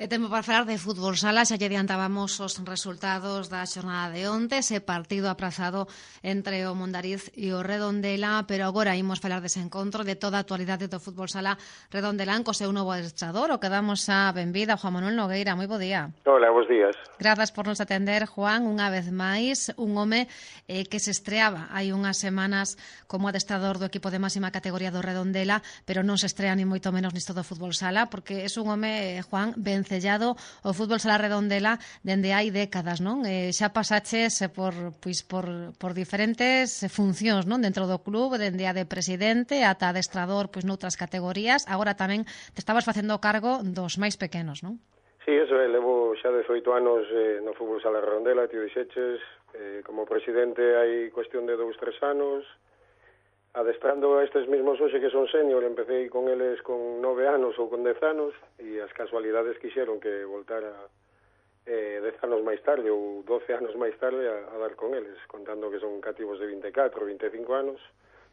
E tempo para falar de fútbol sala, xa lle adiantábamos os resultados da xornada de onte, ese partido aprazado entre o Mondariz e o Redondela, pero agora imos falar dese encontro, de toda a actualidade do fútbol sala redondelán co seu novo adestrador, o que damos a benvida a Juan Manuel Nogueira. Moi bo día. Hola, bons días. Grazas por nos atender, Juan, unha vez máis, un home que se estreaba hai unhas semanas como adestrador do equipo de máxima categoría do Redondela, pero non se estrea ni moito menos nisto do fútbol sala, porque é un home, Juan, vencellado ao fútbol sala Redondela dende hai décadas, non? Xa pasaches por diferentes funcións, non? Dentro do club, dende a de presidente ata adestrador noutras categorías, agora tamén te estabas facendo cargo dos máis pequenos, non? Sí, eso é, levo xa 18 anos no fútbol sala Redondela, tío dixeches, como presidente hai cuestión de 2-3 anos, adestrando a estes mesmos hoxe que son senior, empecé con eles con 9 anos ou con 10 anos, e as casualidades quixeron que voltara 10 anos máis tarde ou 12 anos máis tarde a dar con eles, contando que son cativos de 24, 25 anos,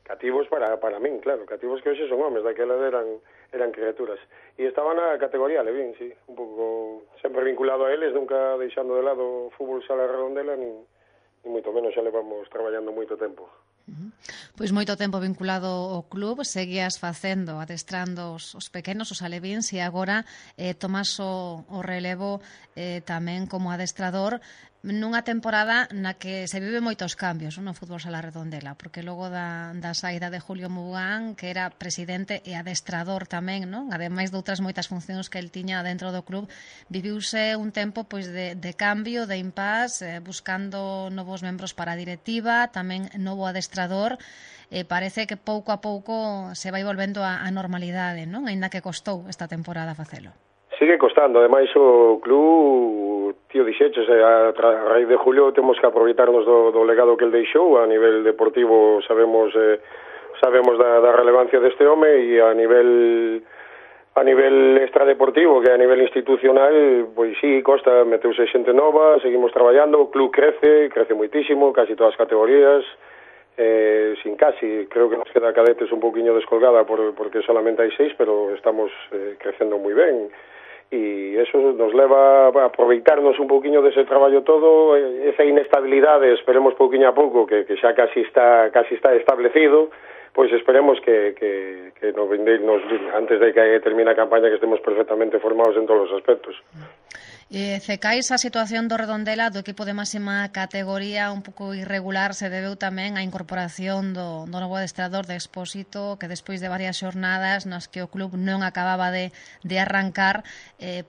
cativos para min, claro, cativos que hoxe son homes, daquela eran criaturas. E estaba na categoría Levín, sí, un pouco sempre vinculado a eles, nunca deixando de lado o fútbol sala Redondela, ni moito menos, xa levamos traballando moito tempo. Pois moito tempo vinculado ao club, seguías facendo, adestrando os pequenos, os alevíns, e agora tomas o relevo tamén como adestrador nunha temporada na que se vive moitos cambios no fútbol sala Redondela, porque logo da saída de Julio Mugán, que era presidente e adestrador tamén, non? Ademais de outras moitas funcións que el tiña dentro do club, viviuse un tempo de cambio, de impás, buscando novos membros para a directiva, tamén novo adestrador. Parece que pouco a pouco se vai volvendo a normalidade, non? Aínda que costou esta temporada facelo. Sigue costando, ademais o club, tío dixeches, a raíz de Julio temos que aproveitarnos do legado que el deixou. A nivel deportivo sabemos da relevancia deste home, e a nivel extradeportivo, que a nivel institucional, pois sí, costa, meteuse xente nova, seguimos traballando, o club crece moitísimo, casi todas as categorías, sin casi, creo que nos queda cadetes un poquinho descolgada porque solamente hai 6, pero estamos crecendo moi ben. E eso nos leva a aproveitarnos un pouquiño dese traballo todo, esa inestabilidade, esperemos pouquiño a pouco, que xa casi está establecido, pois esperemos que antes de que termine a campaña, que estemos perfectamente formados en todos os aspectos. Cecais, a situación do Redondela, do equipo de máxima categoría, un pouco irregular, se debeu tamén á incorporación do novo adestrador de Expósito, que despois de varias xornadas nas que o club non acababa de arrancar,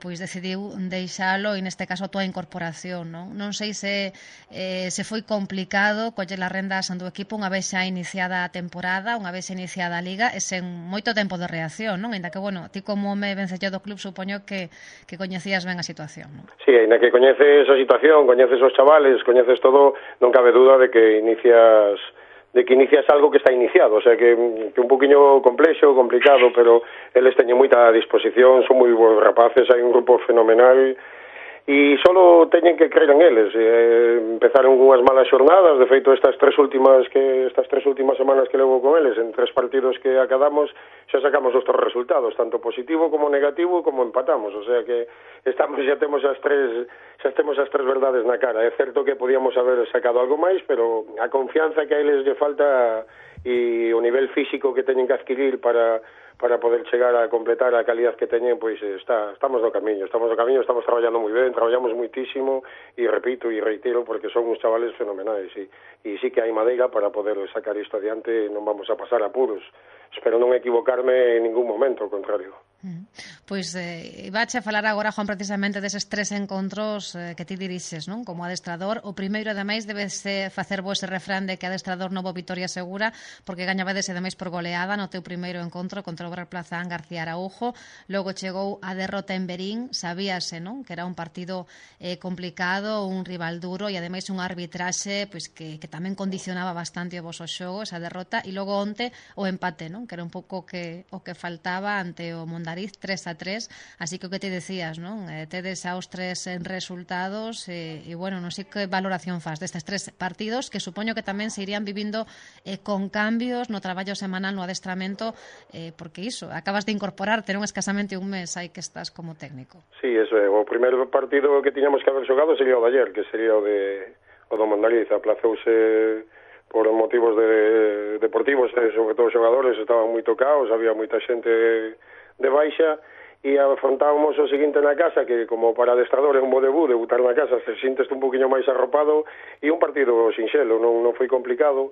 pois decidiu deixalo, e neste caso a túa incorporación, non? Non sei se foi complicado coller as rendas do equipo unha vez xa iniciada a temporada, unha vez iniciada a liga, e sen moito tempo de reacción, non? Ainda que, bueno, ti como home vencellado do club, supoño que coñecías ben a situación. Sí, ainda que coñeces a situación, coñeces os chavales, coñeces todo, non cabe duda de que inicias algo que está iniciado, o sea que un poquinho complexo, complicado, pero eles teñen moita disposición, son moi bons rapaces, hai un grupo fenomenal, e solo teñen que creer en eles. Empezaron unhas malas xornadas, de feito estas tres últimas semanas que levo con eles, en 3 partidos que acadamos, xa sacamos os 3 resultados, tanto positivo como negativo, como empatamos, o sea que xa temos as tres verdades na cara. É certo que podíamos haber sacado algo máis, pero a confianza que a eles lle falta e o nivel físico que teñen que adquirir para poder chegar a completar a calidad que teñen, pois estamos no camiño, estamos traballando moi ben, traballamos moitísimo, e repito e reitero, porque son uns chavales fenomenais, e sí que hai madeira para poder sacar isto adiante, non vamos a pasar apuros. Espero non equivocarme en ningún momento, ao contrario. Pois ibache a falar agora, Juan, precisamente deses 3 encontros que ti dirixes, non? Como adestrador. O primeiro, ademais, debes facer vos ese refrán de que adestrador novo vitoria segura, porque gañabades ademais por goleada no teu primeiro encontro contra o Real Plazán García Araújo. Logo chegou a derrota en Berín, sabíase, non? Que era un partido complicado, un rival duro, e ademais un arbitraxe pois que tamén condicionaba bastante o voso xogo, esa derrota, e logo onte o empate, non? non? Que era un pouco o que faltaba ante o Mondariz 3-3, así que o que te decías, non? Tedes aos 3 resultados e bueno, non sei que valoración faz destes 3 partidos que supoño que tamén se irían vivindo con cambios no traballo semanal, no adestramento, porque iso, acabas de incorporarte, non escasamente un mes aí que estás como técnico. Sí, eso é, o primeiro partido que tiñamos que haber xogado sería o de ayer, que sería o do Mondariz, aplazouse por motivos deportivos, sobre todo os xogadores estaban moi tocados, había moita xente de baixa, e afrontábamos o seguinte na casa, que como para adestrador é un bo debut, debutar na casa, se sinteste un poquinho máis arropado, e un partido sinxelo, non foi complicado,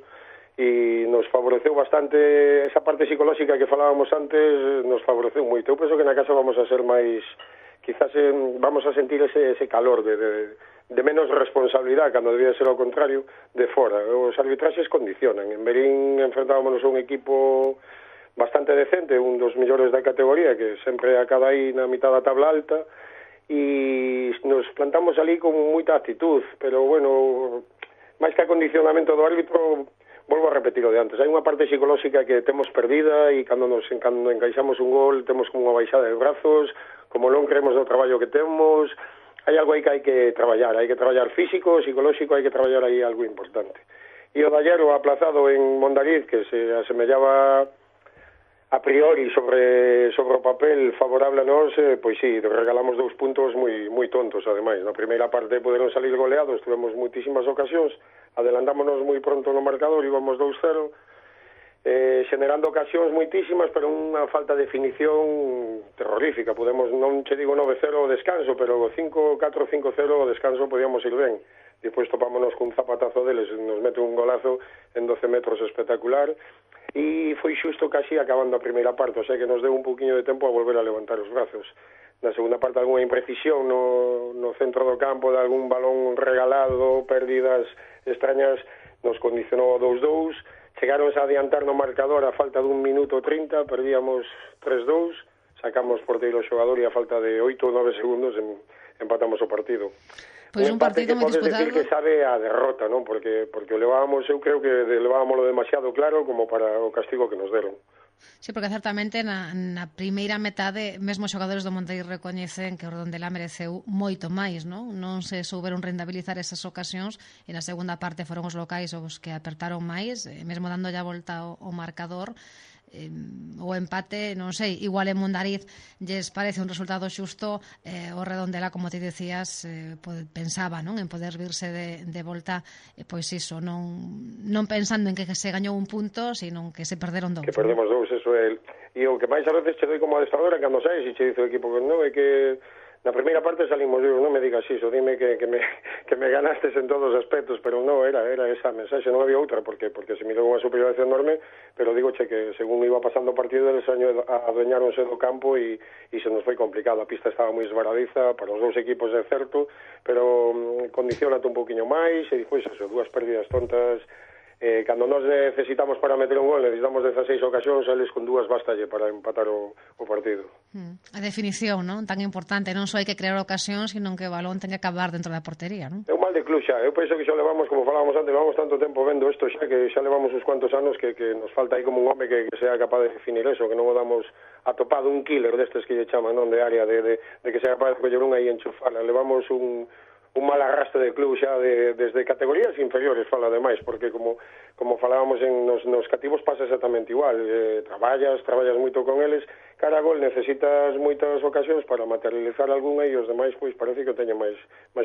e nos favoreceu bastante esa parte psicolóxica que falábamos antes, nos favoreceu moito. Eu penso que na casa vamos a ser máis, quizás vamos a sentir ese calor de menos responsabilidade, cando debía ser ao contrario, de fora. Os arbitraxes condicionan. En Berín enfrentábamos a un equipo bastante decente, un dos mellores da categoría, que sempre acaba aí na mitad da tabla alta, e nos plantamos ali con moita actitud, pero bueno, máis que acondicionamento do árbitro, volvo a repetir o de antes, hai unha parte psicolóxica que temos perdida, e cando encaixamos un gol temos como unha baixada de brazos, como non creemos no traballo que temos. Hai algo aí que hai que traballar físico, psicolóxico, hai que traballar aí algo importante. E o de ayer, o aplazado en Mondariz, que se asemellaba a priori sobre o papel favorable a nós, pois sí, regalamos 2 puntos moi tontos, ademais. Na primeira parte poderon salir goleados, tivemos moitísimas ocasións, adelantámonos moi pronto no marcador, íbamos 2-0, generando ocasións moitísimas, pero unha falta de definición terrorífica. Podemos, non che digo 9-0 o descanso, pero 5-4, 5-0 o descanso podíamos ir ben. Depois topámonos cun zapatazo deles, nos mete un golazo en 12 metros espectacular, e foi xusto casi acabando a primeira parte, o sea que nos deu un poquinho de tempo a volver a levantar os brazos. Na segunda parte algunha imprecisión no centro do campo, de algún balón regalado, pérdidas extrañas, nos condicionou 2-2, chegaronse a adiantar no marcador a falta de 1 minuto 30, perdíamos 3-2, sacamos porteiro xogador e a falta de 8 ou 9 segundos empatamos o partido. Pois un partido moi disputado. Decir que sabe a derrota, non? Porque o levábamos, eu creo que levábamoslo demasiado claro como para o castigo que nos deron. Sí, porque certamente na primeira metade mesmo os xogadores do Monteiro recoñecen que o Redondela mereceu moito máis, non? Non se souberon rentabilizar esas ocasións e na segunda parte foron os locais os que apertaron máis, mesmo dando a volta ao marcador. O empate, non sei, igual en Mondariz lles parece un resultado xusto, o Redondela, como te decías, pensaba, non, en poder virse de volta, pois iso, non pensando en que se gañou un punto, sino que se perderon 2. Que perdemos 2, eso é. E o que máis a veces che doi como adestradora cando saes e che dice o equipo que non, é que na primeira parte salimos, eu non me digas iso, dime que me ganastes en todos os aspectos, pero non, era esa mensaxe, non había outra, porque se me deu unha superioridade enorme, pero digoche que según iba pasando o partido, eles adueñáronse do campo e se nos foi complicado, a pista estaba moi esvaradiza, para os dous equipos é certo, pero condicionate un poquinho máis, e despois eso, 2 pérdidas tontas. Cando nos necesitamos para meter un gol, necesitamos 16 ocasións, eles con 2 bastalle para empatar o partido. A definición, non? Tan importante, non só hai que crear ocasións, sino que o balón ten que acabar dentro da portería, non? É un mal de club xa, eu penso que xa levamos, como falábamos antes, levamos tanto tempo vendo isto xa, que xa levamos uns cuantos anos que nos falta aí como un home que sea capaz de definir eso, que non o damos atopado un killer destes que lle chaman, non, de área, de que sea capaz de coller unha e enchufarla. Levamos un mal arrastre de club xa desde categorías inferiores, fala ademais, porque como falábamos nos cativos pasa exactamente igual, traballas moito con eles, cara a gol necesitas moitas ocasións para materializar algunha e os demais pois parece que o teñen máis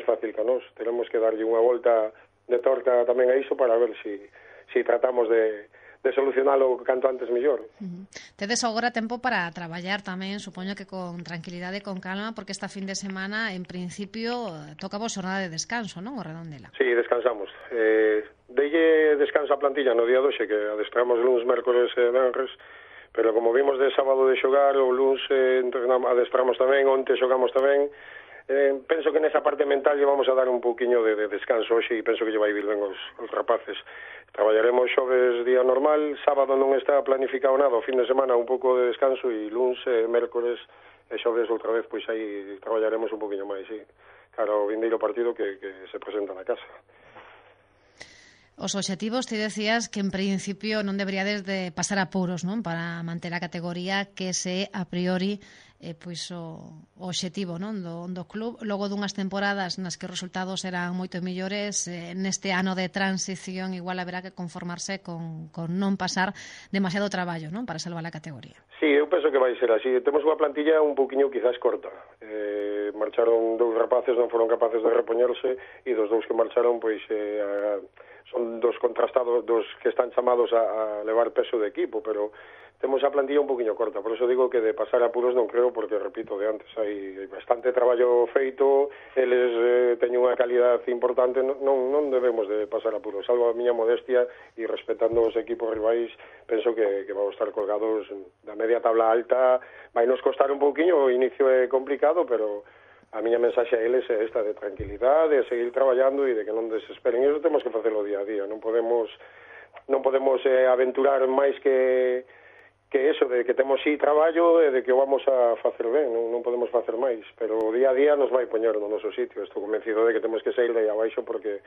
fácil que nós. Teremos que darlle unha volta de torta tamén a iso para ver si tratamos de solucionalo canto antes mellor. Tedes agora tempo para traballar tamén, supoño que con tranquilidade e con calma, porque esta fin de semana, en principio, toca vos xornada de descanso, non, o Redondela? Sí, descansamos. Deille descanso a plantilla no día 12, que adestramos luns, mércores e venres, pero como vimos de sábado de xogar, o luns adestramos tamén, onte xogamos tamén. Penso que nesa parte mental lle vamos a dar un pouquiño de descanso hoxe e penso que lle vai vir ben os rapaces. Traballaremos xoves día normal, sábado non está planificado nada, o fin de semana un pouco de descanso e luns, mércores e xoves outra vez, pois aí traballaremos un pouquiño máis, sí, cara ao vindeiro partido que se presenta na casa. Os obxectivos, ti decías que en principio non deberíades de pasar apuros, non, para manter a categoría, que ese a priori pois o obxectivo, non, do club. Logo dunhas temporadas nas que os resultados eran moito mellores, neste ano de transición igual haberá que conformarse con non pasar demasiado traballo, non, para salvar a categoría. Sí, eu penso que vai ser así. Temos unha plantilla un poquinho quizás corta. Marcharon 2 rapaces, non foron capaces de repoñerse, e dos 2 que marcharon, pois son dos contrastados, dos que están chamados a levar peso de equipo, pero temos a plantilla un poquinho corta, por eso digo que de pasar apuros non creo, porque, repito, de antes hai bastante traballo feito, eles teñen unha calidad importante, non debemos de pasar apuros, salvo a miña modestia, e respetando os equipos rivais, penso que vamos estar colgados da media tabla alta. Vai nos costar un pouquiño, o inicio é complicado, pero a miña mensaxe a eles é esta, de tranquilidade, de seguir traballando e de que non desesperen. Iso temos que facelo día a día, non podemos aventurar máis que eso, de que temos traballo e de que o vamos a facer ben, non podemos facer máis, pero o día a día nos vai poñer no noso sitio. Estou convencido de que temos que sair de aí abaixo porque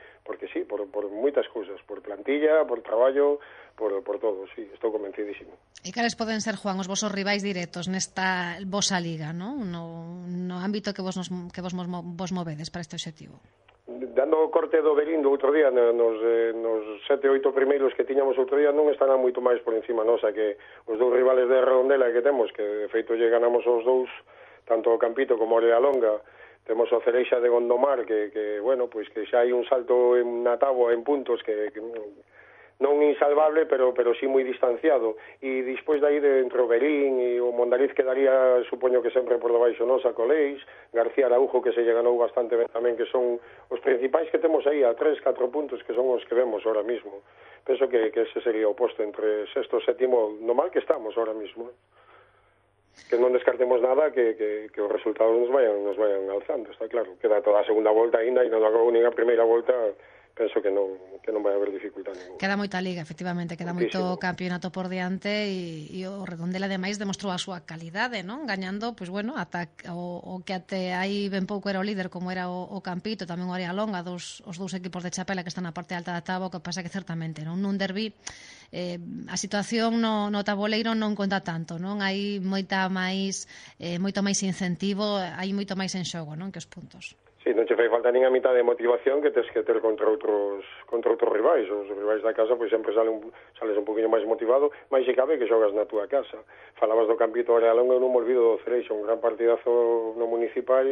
sí, por moitas cousas, por plantilla, por traballo, por todo, sí, estou convencidísimo. E cales poden ser, Juan, os vosos rivais directos nesta vosa liga, non? No ámbito que vos movedes para este obxectivo? Dando o corte do Berín do outro día, nos 7-8 primeiros que tiñamos outro día, non estarán moito máis por encima nosa que os 2 rivales de Redondela que temos, que de feito lle ganamos os 2, tanto o Campito como o Longa. Temos o Cereixa de Gondomar, que bueno, pois que xa hai un salto na táboa en puntos que non insalvable, pero sí moi distanciado. E despois dai de entre o Berín e o Mondariz quedaría, supoño que sempre por debaixo nosa, Coleis, García Araujo, que se lle ganou bastante ben tamén, que son os principais que temos aí a 3-4 puntos, que son os que vemos ahora mismo. Penso que ese sería o posto entre sexto e sétimo, no mal que estamos ahora mismo. Que non descartemos nada, que os resultados nos vayan alzando, está claro. Queda toda a segunda volta ainda, e non acabou nin a primeira volta. Penso que non vai haber dificultad ninguna. Queda moita liga, efectivamente, queda moito campeonato por diante, e o Redondela ademais demostrou a súa calidade, non? Gañando, pois bueno, ata o que até aí ben pouco era o líder, como era o Campito, tamén o Longa, os 2 equipos de Chapela que están na parte alta da táboa, que pasa que certamente nun derbi a situación no taboleiro non conta tanto, non? Hai moito máis incentivo, hai moito máis en xogo, non, que os puntos. Sí, non che fai falta nin a mitad de motivación que tes que ter contra outros rivais. Os rivais da casa, pois sempre sales un poquinho máis motivado, máis se cabe que xogas na túa casa. Falabas do Campito Longa, eu non me olvido do Cereixa, un gran partidazo no municipal,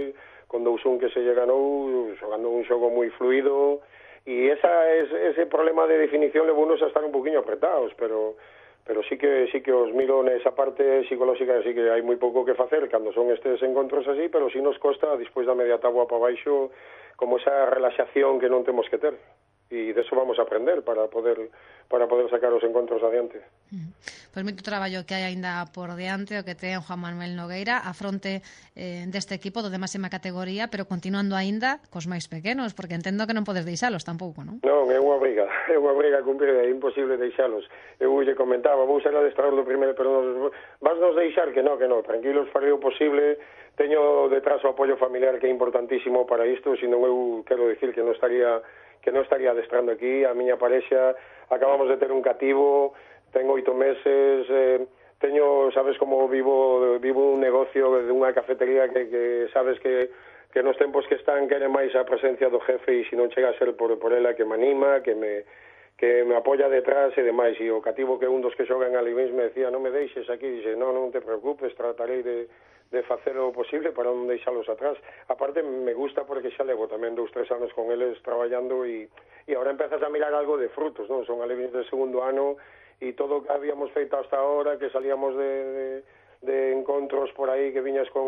con 2-1 que se lle ganou, xogando un xogo moi fluido, e ese problema de definición levounos a estar un poquinho apretados, pero sí que os miro nesa parte psicolóxica, sí que hai moi pouco que facer cando son estes encontros así, pero sí nos costa, despois da media táboa para baixo, como esa relaxación que non temos que ter. E deso vamos a aprender para poder sacar os encontros adiante. Pois moito traballo que hai aínda por diante, o que ten Juan Manuel Nogueira a fronte deste equipo do de máxima categoría, pero continuando aínda cos máis pequenos, porque entendo que non podes deixalos tampouco, non? Non, é unha briga a cumprir, é imposible deixalos. Eu lle comentaba, vou ser adestrador do primeiro, pero vas nos deixar que non, tranquilos, farei o posible. Teño detrás o apoio familiar, que é importantísimo para isto, senón eu quero dicir que non estaría adestrando aquí. A miña parexa, acabamos de ter un cativo, ten 8 meses, sabes como vivo un negocio dunha cafetería que sabes que nos tempos que están quere máis a presencia do jefe, e se non chega a ser por ela que me anima, que me apoia detrás e demais. E o cativo, que un dos que xogan ali me decía, non me deixes aquí, dixe, non te preocupes, tratarei de facer o posible para non deixalos atrás. Aparte, me gusta porque xa levo tamén 2-3 anos con eles traballando, e agora empezas a mirar algo de frutos, non? Son alevins de segundo ano, e todo o que habíamos feito hasta ahora, que salíamos de encontros por aí, que viñas con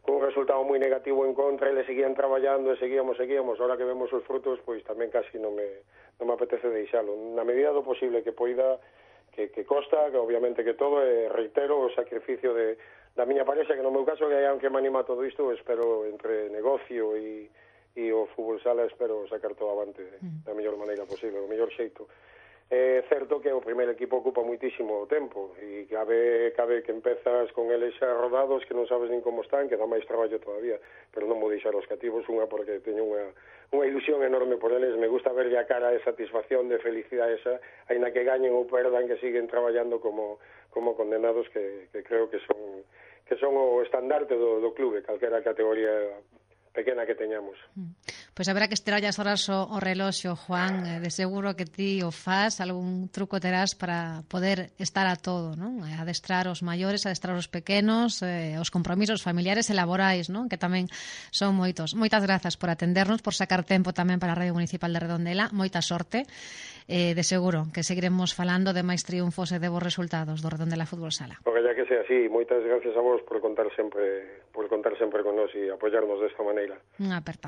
un resultado moi negativo en contra, e le seguían traballando, e seguíamos. Ahora que vemos os frutos, pois tamén casi non me apetece deixalo. Na medida do posible que poida, que costa, que obviamente que todo, reitero o sacrificio da miña parexa, que no meu caso, que aunque me anima todo isto, espero entre negocio e o fútbol sala, espero sacar todo avante da mellor maneira posible, o mellor xeito. É certo que o primeiro equipo ocupa muitísimo tempo e cabe que empezas con eles xa rodados que non sabes nin como están, que dá máis traballo todavía, pero non vou deixar os cativos, unha porque teño unha ilusión enorme por eles, me gusta verlle a cara de satisfacción, de felicidade esa, aínda que gañen ou perdan, que siguen traballando como condenados, que creo que son o estandarte do clube, calquera categoría pequena que teñamos. Pois haberá que estirar as horas o reloxo, Juan, de seguro que ti o faz, algún truco terás para poder estar a todo, non? Adestrar os maiores, adestrar os pequenos, os compromisos familiares e laborais, non? Que tamén son moitos. Moitas grazas por atendernos, por sacar tempo tamén para a Radio Municipal de Redondela, moita sorte, de seguro que seguiremos falando de máis triunfos e de bons resultados do Redondela Fútbol Sala. Porque ya que sea así, moitas gracias a vos por contar sempre con nós e apoiarnos desta maneira. Unha aperta.